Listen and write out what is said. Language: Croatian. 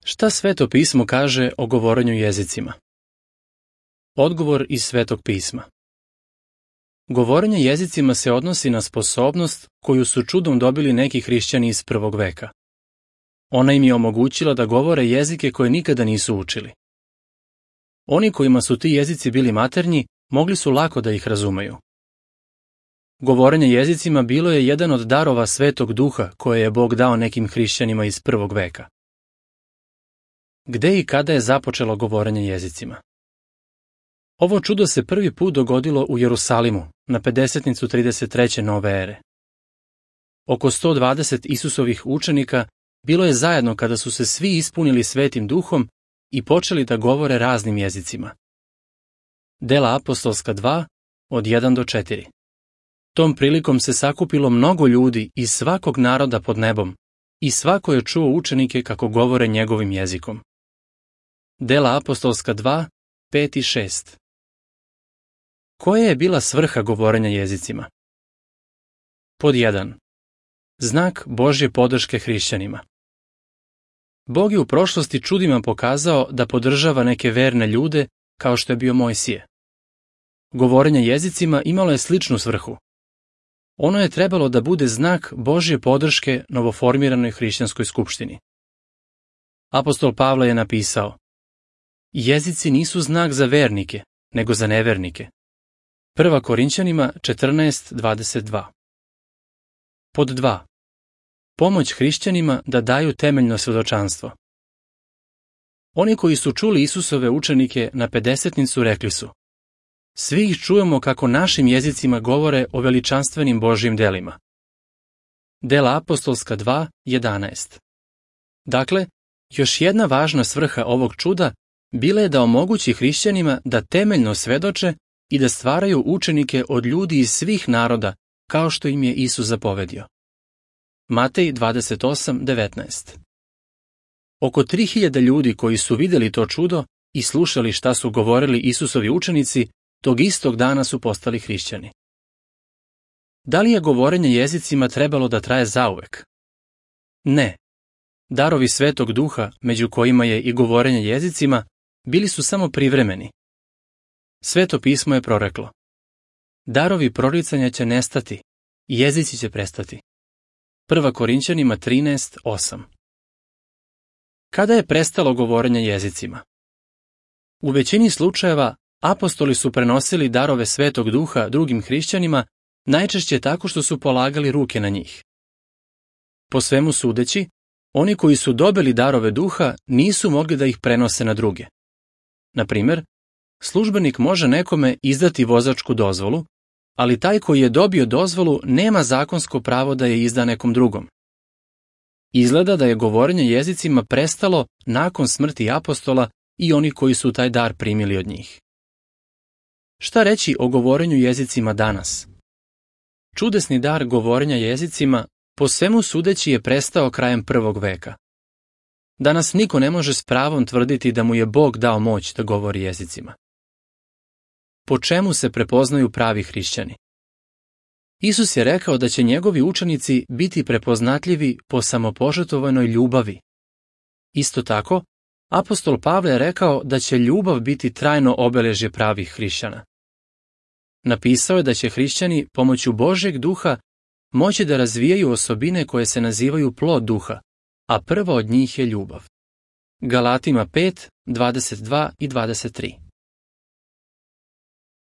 Šta Sveto pismo kaže o govorenju jezicima? Odgovor iz Svetog pisma. Govorenje jezicima se odnosi na sposobnost koju su čudom dobili neki hrišćani iz prvog veka. Ona im je omogućila da govore jezike koje nikada nisu učili. Oni kojima su ti jezici bili maternji, mogli su lako da ih razumeju. Govorenje jezicima bilo je jedan od darova Svetog Duha koje je Bog dao nekim hrišćanima iz prvog veka. Gde i kada je započelo govorenje jezicima? Ovo čudo se prvi put dogodilo u Jerusalimu, na pedesetnicu 33. nove ere. Oko 120 Isusovih učenika bilo je zajedno kada su se svi ispunili Svetim Duhom i počeli da govore raznim jezicima. Dela apostolska 2, od 1 do 4. Tom prilikom se sakupilo mnogo ljudi iz svakog naroda pod nebom i svako je čuo učenike kako govore njegovim jezikom. Dela apostolska 2, 5 i 6. Koja je bila svrha govorenja jezicima? Pod 1. Znak Božje podrške hrišćanima. Bog je u prošlosti čudima pokazao da podržava neke verne ljude kao što je bio Mojsije. Govorenje jezicima imalo je sličnu svrhu. Ono je trebalo da bude znak Božje podrške novoformiranoj hrišćanskoj skupštini. Apostol Pavle je napisao: jezici nisu znak za vernike, nego za nevernike. 1. Korinćanima 14:22. Pod 2. Pomoć hrišćanima da daju temeljno svedočanstvo. Oni koji su čuli Isusove učenike na pedesetnicu rekli su: svi ih čujemo kako našim jezicima govore o veličanstvenim Božjim delima. Dela apostolska 2:11. Dakle, još jedna važna svrha ovog čuda bila je da omogući hrišćanima da temeljno svedoče i da stvaraju učenike od ljudi iz svih naroda, kao što im je Isus zapovedio. Matej 28:19. Oko 3000 ljudi koji su vidjeli to čudo i slušali šta su govorili Isusovi učenici, tog istog dana su postali hrišćani. Da li je govorenje jezicima trebalo da traje zauvek? Ne. Darovi Svetog Duha, među kojima je i govorenje jezicima, bili su samo privremeni. Sveto pismo je proreklo: darovi proricanja će nestati, jezici će prestati. 1. Korinćanima 13:8. Kada je prestalo govorenje jezicima? U većini slučajeva apostoli su prenosili darove Svetog Duha drugim hrišćanima, najčešće tako što su polagali ruke na njih. Po svemu sudeći, oni koji su dobili darove Duha nisu mogli da ih prenose na druge. Na primjer, službenik može nekome izdati vozačku dozvolu, ali taj koji je dobio dozvolu nema zakonsko pravo da je izda nekom drugom. Izgleda da je govorenje jezicima prestalo nakon smrti apostola i oni koji su taj dar primili od njih. Šta reći o govorenju jezicima danas? Čudesni dar govorenja jezicima po svemu sudeći je prestao krajem prvog veka. Danas niko ne može s pravom tvrditi da mu je Bog dao moć da govori jezicima. Po čemu se prepoznaju pravi hrišćani? Isus je rekao da će njegovi učenici biti prepoznatljivi po samopožrtvovanoj ljubavi. Isto tako, apostol Pavle je rekao da će ljubav biti trajno obeležje pravih hrišćana. Napisao je da će hrišćani pomoću Božjeg Duha moći da razvijaju osobine koje se nazivaju plod Duha, a prva od njih je ljubav. Galatima 5:22 i 23.